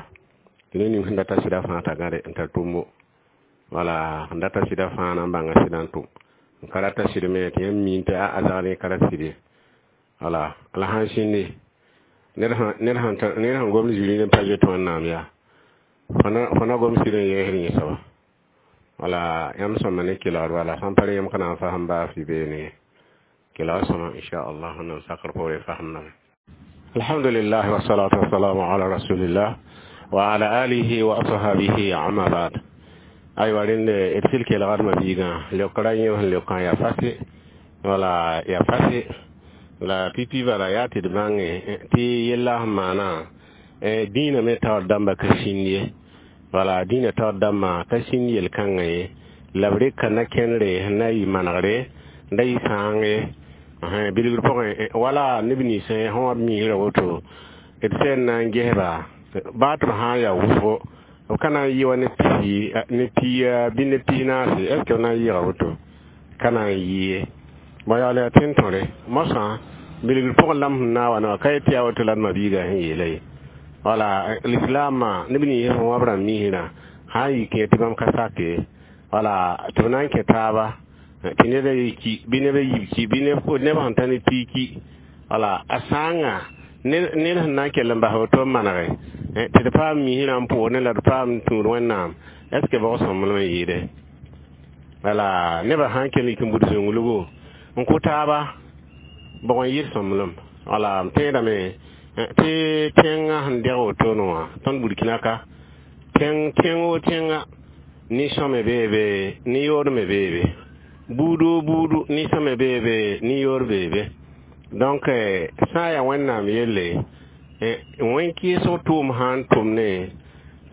tɩ ned ning sẽn data sɩda fãa t'a gãde n tar tʋmbo wala sẽn data sɩda fãa na n bãnga sɩdã n tʋm n ka rata sɩd me tɩ yãmb miin tɩ a zagd ka ra sɩd ye wala la sãn sĩndi ned sẽn gomd ziri ne pa zoet wẽnnaam yaa fo na gom sɩd n yɛɛsd yẽ soaba wala yãmb sõma ne kelgd bala sãn pa rẽ yãmb ka na n fasem baa fɩ beene ye kelg sõma inchallah wẽnnaam sakr poore fasemdame alhamdulillah wasalatu wasalamu ala rasulillah wa ala alihi wa ashabihi amma ba'd aywa rẽnd d sɩl kelgd mabiigã leokra yẽ sẽn leokã yaa fase wala yaa fase la pipi bala yaa tɩ d bãnge tɩ yella sẽn maana dĩinã me taoor dãmba ka sĩnd ye wala dĩinã taoor dãmbã ka sĩnd yel-kãngã ye la b reka na-kẽndre sẽn na n yɩ manegre n da yɩ sãang ye bilgr pʋgẽ wala neb ninsẽ sẽn wa b miisrã woto d sẽn na n gesba baa tɩ b sã n yaa wʋsgo b ka na n yɩ wa ne pisi ne pia bɩ ne pis naase est ce que b na n yɩɩga woto ka na n yɩ ye bõe yaool yaa tẽn-tõre mosã bilgr pʋgẽ lam sẽn na n wa ne wã ka yet tɩ yaa woto la d mabiigã sẽn yeela ye wala lislaamã neb nins sẽn wa b rãmb miisrã sã n yik yẽ tɩ bãmb ka sake wala tɩ b na n kẽ taaba tɩ ned a yi ki bɩ neb a yiib ki bɩ neb sẽn ta ne pii ki wala a sãanga ned sẽn na n kell n bas woto n manege tɩ d paam miisrã n pʋʋs ne la d paam tũud wẽnnaam est ce que bog sõmblem n yɩɩde wala nebã sã n kell n yik n bud zũnglugo n kʋ taaba bog n yɩɩd sõmblem wala m tẽedame tɩ tẽngã sẽn deg wotone wã tõnd burkina ka tẽng tẽng o tẽnga nin-sõme beebe nin-yood me beebe buud o buudu nin-sõme beebe nin-yood beebe donc sã n yaa wẽnnaam yelle wẽn-kɩɩsg tʋʋm sã n tʋm ne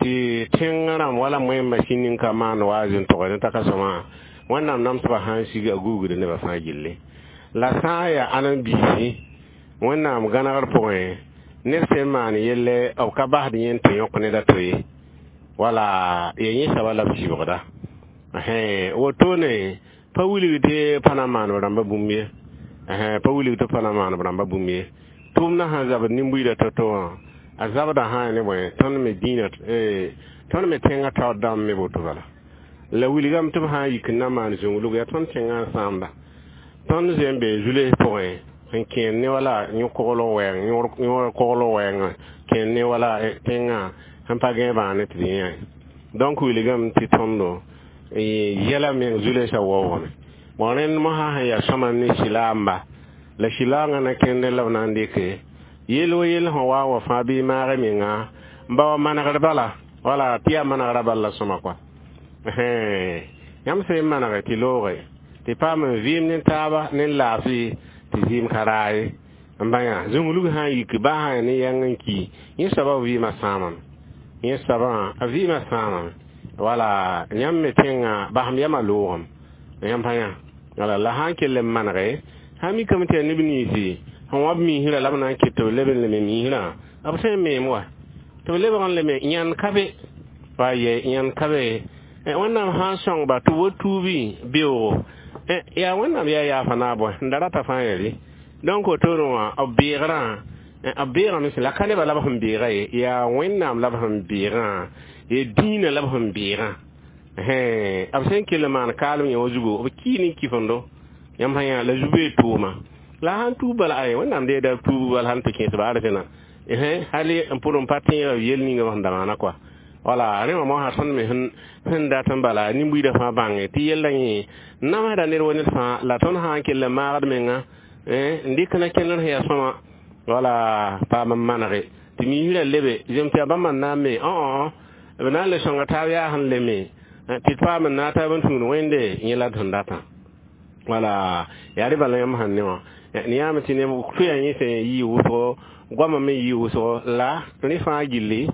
tɩ tẽngã rãmb wala moẽmbã sĩnd n ka maan wa n tʋgd ne t'a ka sõma wẽnnaam namsbã sã n sig a gugd nebã fãa gilli la sã n yaa ãdem-biisi wẽnnaam gãnegr pʋgẽ ned sẽn maan yelle b ka basd yẽ tɩ yõk ned a to ye wala ya yẽ soaba la b sɩbgda wotone pa wilg tɩ pa na n maan b rãmbã bũmb ye pa wilg tɩ pa na maan b rãmbã bũmb ye tʋʋmdã sãn zabd nin-buiidã to-to wã a zabdã sã n ne bõe tõnd me dĩinã tõnd me tẽngã taoor dãmb me woto bala la wilgame tɩ b sã n yik n na n maan zũnglug yaa tõnd tẽngã n sãamba tõnd zoe n bee zules pʋgẽ n kẽer ne wala yõ-koglg wɛɛng yõor koglg wɛɛngã kẽer ne wala tẽngã sẽn pa gãe bãa ne tɩ d yẽ donc wilgame tɩ tõndo yɛla meng zulesã waoogame bon rẽnd mosã sẽn yaa sõma ne sɩlaamba la sɩlaangã na kẽndẽ la b na n dɩke yel wo yel sẽn wa wa fãa bɩ maag menga n ba wa manegr bala wala tɩ yaa manegrã bal la sõma kɔa yãmb sẽn manege tɩ looge tɩ paam n vɩɩm ne taaba ne laafɩ tɩ zɩɩm ka raa ye n bã yã zũnglug sã n yik baa sã ya ne yãng n ki yẽ soabã vɩɩmã sãamame yẽ soabã a vɩɩmã sãamame wala yãmb me tẽngã basem yamã loogem yãmb pa yã wala la sã n kell n manege sã n mikame tɩ yaa neb ninsi sẽn wa b miisrã la b na n ket tɩ b leb n leme miisrã b sẽn n meem wa tɩ b lebg n leme yãnd ka be wa yɛ yãnd ka be wẽnnaam sã n sõngba tɩ wo tuubi beoogo yaa wẽnnaam yaa yaafa naab bõe n da rata fãa yɛlɩ donc wotone wã b beegrã b beegame la ka nebã la b sẽn beega ye yaa wẽnnaam la b sẽn beegã ya dĩinã la b sẽn beegã b sẽn kell n maan kaalem yẽ wã zugu b kii ne kifendo yãmb sã yã la zu-bee tʋʋma la sãn tuub bala ay wẽnnaam deeda tuub bala sãn tɩ kẽes ba arzẽna hali n pʋd n pa tẽega yel ninga b sẽn da maana kɔa wala rẽ wã mosã tõnd me sẽn dat n bala nin-buiidã fãa bãnge tɩ yellã yẽ namsda ned wa ned fãa la tõnd sã n kell n maagd menga n dɩk na kẽndr sẽn yaa sõma wala paam n manege tɩ miisrã lebe zem tɩ yaa bãmb n na n me õ b na n le sõnga taab yaa sẽn leme tɩ d paam n na taab n tũud wẽnde yẽ la d sẽn datã wala yaa rẽ bala yãmb sẽn ne wã ne yãame tɩ neb tʋya yẽ sẽn yɩ wʋsgo goamã me yɩ wʋsgo la rẽ fãa gilli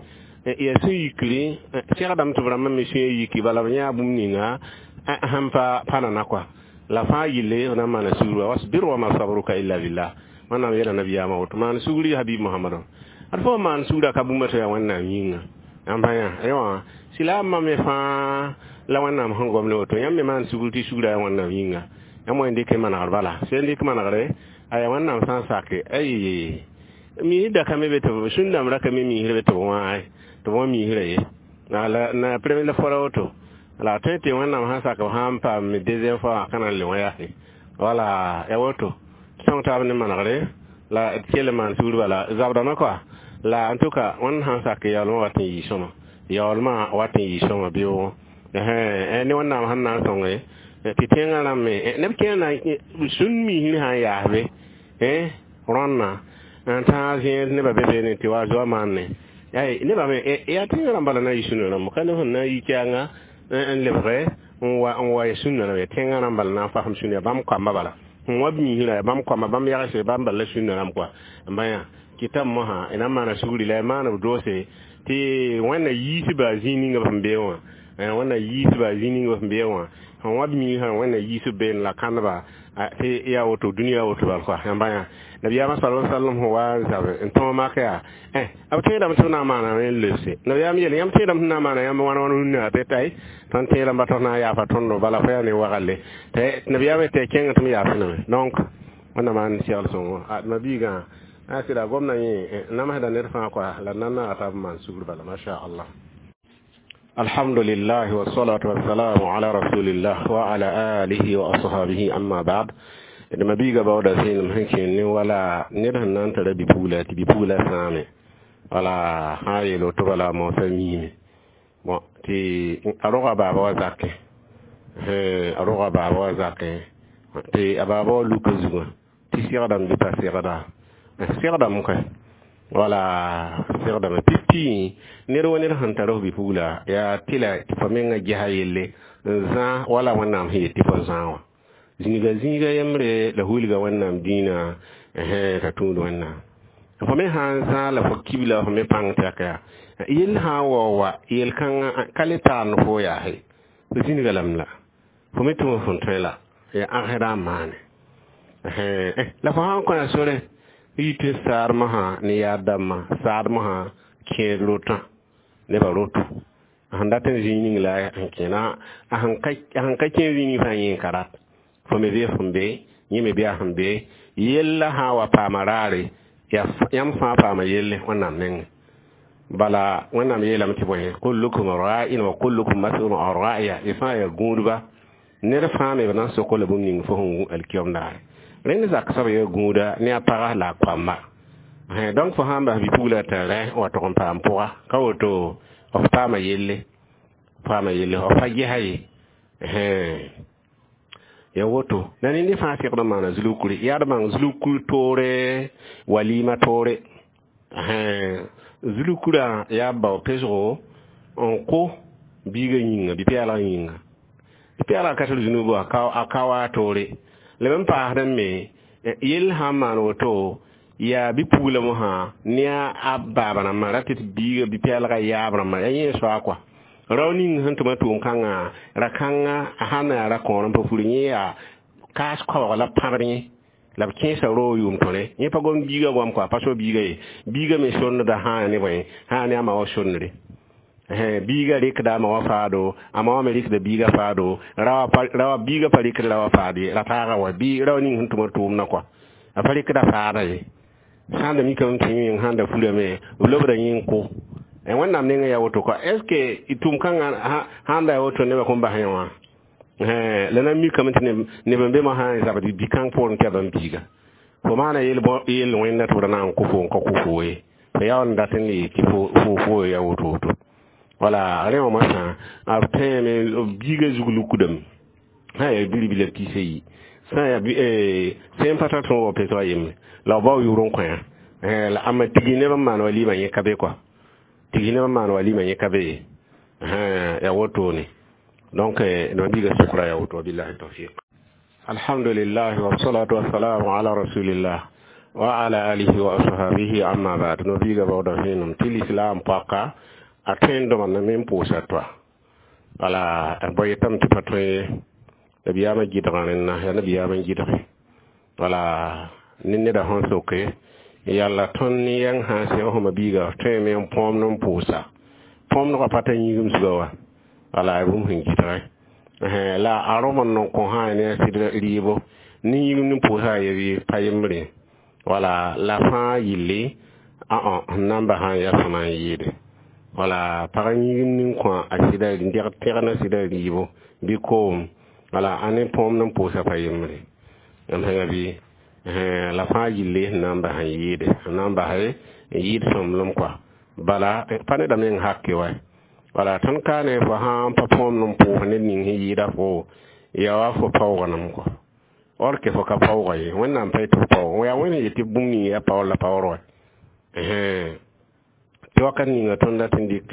yaa sẽn yikri segdame tɩ b rãmbã me sũyã yiki bala b yãa bũmb ninga sẽn pa pa nana kɔa la fãa gilli b na n maana sugr wasbir wama sabruka illa billah. Wẽnnaam yeela nabiyaamã woto maan sugri habib mohamado ad fo maan sugra ka bũmba tɩ yaa Wẽnnaam yĩnga yãmb pa yã wã silaamã me fãa la Wẽnnaam sẽn gom ne woto yãmb me maan sugr tɩ sugra yaa Wẽnnaam yĩnga yãmb wa n dɩk manegr bala sẽn dɩk manegre aya Wẽnnaam sã n sake ay miisd da ka me be tɩ sũn-dãmb ra ka me miisr be tɩ b wãa tɩ b wã miisrã ye la na premier la fora woto la tõe tɩ Wẽnnaam sã n sak b sã n paam deuxième fois wã ka na n le wã yaase wala ya woto sõng taab ne manegre la d kell n maan sugr bala zabdame koa la en tout cas Wẽnd sã n sak yaoolmã wat n yɩ sõma yaoolmã wat n yɩ sõma bɩ ne Wẽnnaam sẽn na n sõnge tɩ tẽngã rãmb me neb kẽer na sũn miisr sã n yaas be rõnna n tãag zẽed nebã be beene tɩ wa zoa maanne nebã me yaa tẽngã rãmb bala na n yɩ sũnã rãmb ka neb sẽn na n yi kɛɛnga n lebge n wa n wa sũnã rãmb ya tẽngã rãmb bala na n fasem sũnã ya bãmb koamba bala sẽn wa miisrã ya bãmb koamba bãmb yagse bãmb bala la sũnã rãmb koa n ba yã kɩtame mosã y na n maana sugri la y maan b doose tɩ Wẽnna yiisba zĩig ninga b sẽn beẽ wã Wẽnna yiisba zĩig ninga b sẽn beẽ wã sẽn wa b miisã Wẽnna yiisb beene la kãndba tɩ yaa woto dũniyã woto bal koa yãmba yã nabiyaamã sala sallam sẽn wa n zabe n tõog mak yaa b tẽedame tɩ b na n maaname n lebse nabiyaam yeele yãmb tẽedame tɩ na n maana yãmb wãn wãn rũnnã tɩ tay tõnd tẽedame ba tõs na n yaafa tõndo bala fo yaa ne wagalle tɩ nabiyaam tɩ kẽng tɩ m yaafname donc Wẽnna maan segl sõngo ma biigã a sɩda gomdã yẽ namsda ned fãa koa la na n naaga t'a b maan sugr bala masha Allah. الحمد لله والصلاة والسلام على رسول الله وعلى آله وأصحابه أما بعد d mabiiga baooda zẽenem sẽn kẽen ne wala ned sẽn na n tara bi-pugla tɩ bi-pugla sãame wala sã n yeel woto bala moosã miime bon tɩ a roga baaba wa zakẽ a roga baaba wa zakẽ tɩ a baaba wa luka zugã tɩ segdame bɩ pa segda segdame koɛ wala segdame pipi ned wa ned sẽn tar f bi-pugla yaa tɩla tɩ fo menga gesa yelle n zã wala Wẽnnaam sẽn yet tɩ fo zã wã zĩiga zĩiga yembre la wilga Wẽnnaam dĩinã t'a tũud Wẽnnaam fo me sã n zã la fo kibla fo me pãng tɛk yaa yell sã n wao wa yel-kãngã ka le taar fo yaase fo zĩnga lame la fo me tʋm fõn tõe la yaa ãgsdã n maane la fo sã n kõ sore yɩ tɩ saadmosã ne yaad dãmbã saadmosã kẽed rotã nebã roto sẽn dat n zĩig ning la n kẽna a sẽn ka kẽ zĩig ning fãa yẽ n ka rat fo me bee sẽn be yẽ me bee a sẽn be yella sã n wa paama raare yãmb fãa paama yelle Wẽnnaam nengẽ bala Wẽnnaam yeelame tɩ bõe kullukum ra'in wa kullukum mas'ulun an ra'iya y fãa yaa gũudba ned fãa me b na n sok la bũmb ning fo sẽn wũ alkiyom daare rẽnd zak soab yaa gũuda ne a paga la a koamba donc fo sã n bas bi-pugla t'a rẽ wa tʋg n paam pʋga ka woto f paama yelle paama yelle f pa gesa ye ya woto la ned fãa segd n maana zulukuri yaa d bãng zulukuri toore walima toore zulukurã yaa bao pesgo n kõ biigã yĩnga bi-pɛɛlgã yĩnga bi-pɛɛlgã ka tar zũnub a ka wa toore la b n paasd me yell sã n maan woto yaa bi-pugla mosã ne a baaba rãmbã ra tɩ biiga bi-pɛɛlgã yaab rãmbã yaa yẽ soa kɔa rao ning sẽn tʋm a tʋʋm-kãngã ra-kãngã sãn na yaa ra-kõor n pa furi yẽ yaa kaas koabg la pãbd yẽ la b kẽesa roog yʋʋm tõre yẽ pa gom biiga goam kɔa pa so biiga ye biiga me sõndda sã ne bõe sã ne a ma wã sõndre biiga rɩkda a ma wã faado a ma wã me rɩkda biiga faado rawa biiga pa rɩkd rawa faad ye ra taaga wa bɩ rao ning sẽn tʋm a tʋʋmdã kɔa a pa rɩkda faada ye sãn da mikame tɩ yẽ sãn da fulame b lobda yẽ n kʋ Wẽnnaam nengã yaa woto kɔa est ce que tʋʋm-kãngã sãn da yaa woto nebã kõn bas yẽ wã la na n mikame tɩ neb n be mosã n zabd bi-kãng poorẽ tɩ yaa bãmb biiga fo maana yel wẽnda tɩ b ra na n kʋ fo n ka kʋ fo ye fo yaa n dat n le tɩ fo fo yaa woto woto wala rẽ wã mosã b tẽeme biiga zug lukdame sã n yaa bilibila piis a yi sã n yaa sẽn pa tar tõog wa pesg a yembre la b bao yʋʋr n kõ la ãmba tigi neb n maan walima yẽ ka be kɔa tigi neb n maan walima yẽ ka be ye yaa wotone donc no biiga sʋkra yaa woto wabillahi tawfiq. Alhamdulillah wassalatu wassalamu ala rasulillah wa ala alihi wa ashabihi amma ba'd no biiga baooda vẽenem tɩ lislaam paka a tõendõma na me n pʋʋsa toa wala b yetame tɩ pa tõe ye nabiyaamã gɩdgã rẽnna yaa nabiyaamã n gɩdge wala Ne neda sẽn soke yalla tõnd ne yɛng sã n sẽg fo mabiiga tõeme n põomd n pʋʋsa põomdgã pa tar yĩgim zuga wa wala ya bũmb sẽn gɩdge la a rõm n n kõ sã ne a sɩd rɩɩbo ne yĩgimd n pʋʋsa a ye pa yembre wala la fãa yɩlle ã sẽn na n basã n yaa sõma n yɩɩde wala pag yĩgimd n kõ a sɩda n deg tẽgna sɩda rɩɩbo bɩ koom wala a ne põomd n pʋʋsa pa yembre yãmb sẽnga bɩ la fãa yille sẽn na n bas n yɩɩde sẽn na n bas n yɩɩd sõmblem kɔa bala pa neda meng hake wa wala tõnd ka ne fo sã n pa põomd n pʋʋs ned ning sẽn yɩɩda fo ya wa fo paoognem kɔa or ke fo ka paooga ye wẽnnaam pa yetɩ fo paoog yaa wẽnd yetɩ bũmb ning yaa paoor la paoor wa tɩ wakat ninga tõnd dat n dɩk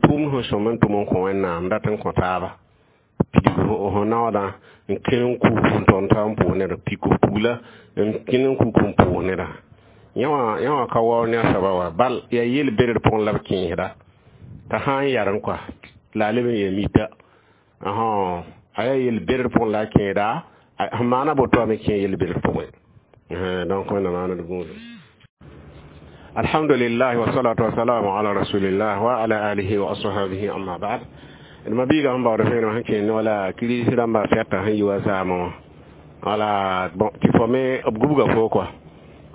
tʋʋmd sẽn sõm n tʋm n kõ wẽnnaam dat n kõ taaba pidg fo naoodã n kẽ n kuk n tõnd ta n pʋʋs neda pik f pugla n kẽ n kuk n pʋʋs neda yã wã ka waoog ne a soaba wa bal yaa yel-bẽdr pʋgẽ la b kẽesda t'a sã n yarẽ kɔa la a leb n yaa mita a yaa yel-bẽdr pʋgẽ la a kẽeda sẽn maana boto a me kẽ yel-bẽdr pʋgẽ donc wẽnnaam maana d gũudum alhamdulillah wassalatu wassalamu ala rasulillah wa ala alihi wa ashabihi amma ba'd d mabiiga sẽn baood vẽenem sẽn kẽnd wala kirist rãmba fɛta sẽn yi wa zaamẽ wã wala bon tɩ fo me b gubga fo kɔa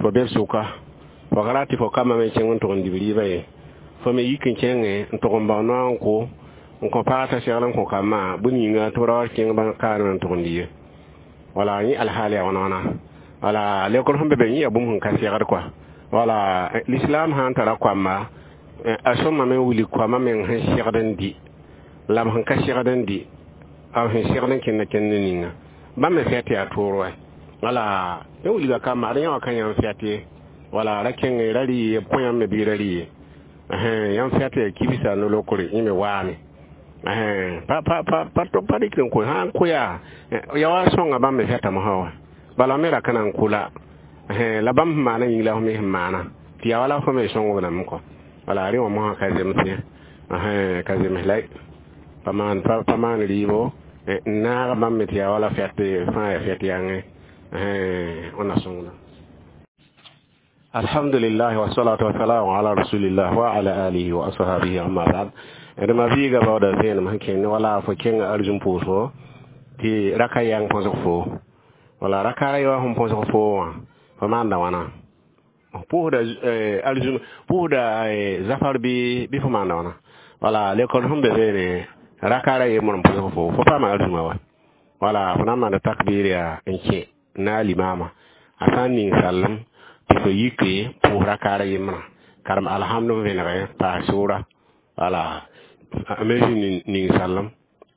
fo be b sʋka fo ka rat tɩ fo kambã me kẽng n tʋg n dib rɩɩbã ye fo me yik n kẽngẽ n tʋg n bao noa n kʋ n kõ pag t'a segl n kõ kambã bũn yĩnga tɩ b ra wa kẽng bã kaarẽ n tʋg n di ye wala yẽ alhaal yaa wãna wãna wala lekr sẽn be be yẽ yaa bũmb sẽn ka segd kɔa wala l'islam sã n tara koamba a sõmame n wilg koambã meng sẽn segd n dɩ la b sẽn ka segd n dɩ b sẽn segd n kẽnda kẽnd ninga bãmb me fɛt yaa toor wa wala yẽ wilga kamba ad yã wã ka yãmb fɛt ye wala ra kẽng ra rɩ ye b kõ yãmb me bɩ ra rɩ ye yãmb fɛt yaa kibsa no-lokre yẽ me waame pa pa pa pa pa rɩk n kõ sã n kʋ yaa ya wa sõnga bãmb me fɛta mosã wa bala me ra ka na n kʋ la la bãmb sẽn maana yĩng la f me sẽn maana tɩ yaa wala fo me sõng b lame kɔ wala rẽ wã mosã ka zems ye ka zems la pa maan pa maan rɩɩbo n naag bãmb me tɩ yaa wala fɛt fãa yaa fɛt yãngẽ wẽnna sõngda alhamdulillah wassalatu wassalamu ala rasulillah wa ala alihi wa ashabihi amma ba'd d mabiiga baooda vẽenem sẽn kẽnd wala fo kẽnga arzũm pʋʋsgo tɩ raka yãng põsg fo wala raka ra yaoã sẽn põsg fo wã fo maanda wãna pʋʋsda arzũm pʋʋsda zafar bɩ bɩ fo maanda wãna wala lekol sẽn be beene raka ra yembr n põsg fo fo paama arzũma wa wala fo na n maanda takbir yaa n kẽ na a limaama a sã n ning sallem tɩ fo yike pʋʋs raka ra yembrã karem alhamd n vẽnege paas sʋʋra wala a me zĩ ning sallem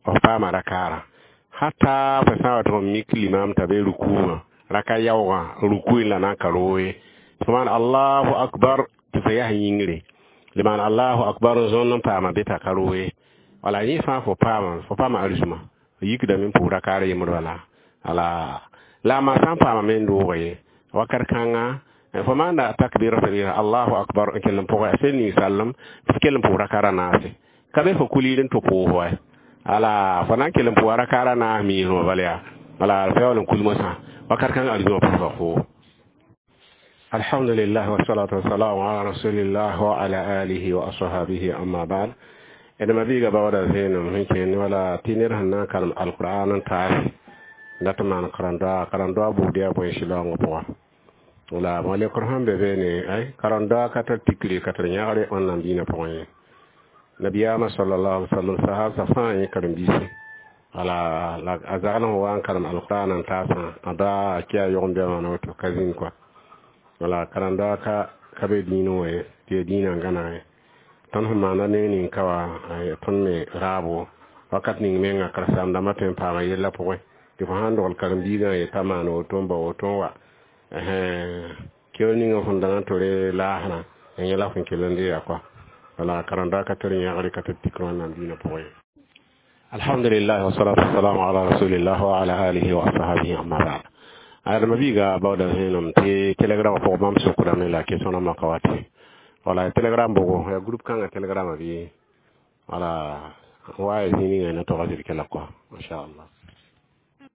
f paama rakaarã hata fo sã n wa tɩ f mik limaam t'a be rukuugã raka yaoogã ruku la na n ka roog ye fo maan allahu akbar tɩ fo yaa yĩngre le maan allahu akbar n zõnd n paama be t'a ka roog ye wala yẽ fãa fo paama fo paama arzũma fo yikdame n pʋʋs rakaar yembr bala ala la a maa sã n paama me n doog ye wakat kãnga fo maanda takbira allahu akbar n kell n pʋgẽ a sẽn ning sallem tɩ f kell n pʋʋs rakaara naase ka be fo kuliid n tʋ pʋʋs wa ala fo na n kell n pʋʋsa rakaara naas miismã bala yaa wala fa yaool n kul mosã wakat kãng arzũmã pʋʋsga foo alhamdulillah wassalatu wassalamu ala rasulillah wa ala alihi wa ashabihi amma ba'd d mabiiga baooda vẽenem sẽn kẽnd wala tɩ ned sẽn na n karem alqur'an n taas dat n maan karẽn-doa karẽn-doa buud yaa bõe sɩlaoongã pʋga wala bõ lekr sẽn be beene ay karẽn-doa ka tar tikre ka tar yãgre wẽnnaam dĩinã pʋgẽ ye nabiyaamã sallallahu alaihi wasallam sahab fãa yẽ karen-biisi wala la a zagl sẽn wa n karem alqur'an n taasã a da a kɩ a yog-n-bɛmã na woto ka zĩnd kɔa wala karẽn-doa ka ka be dĩinẽ wã ye tɩ yaa dĩinã n gãneg ye tõnd sẽn maanda neng ning ka wa tõnd me raabo wakat ning menga karen-saam-dãmbã tõe n paama yellã pʋgẽ tɩ fo sãn dogl karen-biigã ye t'a maan woto n ba woto n wa keoor ninga fõn dãng n tore laasrã yẽ la fõn kell n deega kɔa wala karẽn-doa ka tar yãgre ka tar tikr wẽnnaam dĩinã pʋgẽ ye alhamdulillah wassalatu wassalamu ala rasulillah wa ala alihi wa ashabihi amma ba'd adama biiga baooda vẽenem tɩ telegram pʋgẽ bãmb sokdame la question rãmbã ka wa tɩ wala telegram bogo ya groupe kãngã telegram bɩ wala wa ya zĩig ninga na tog a zɩd kɛla kɔa inchallah.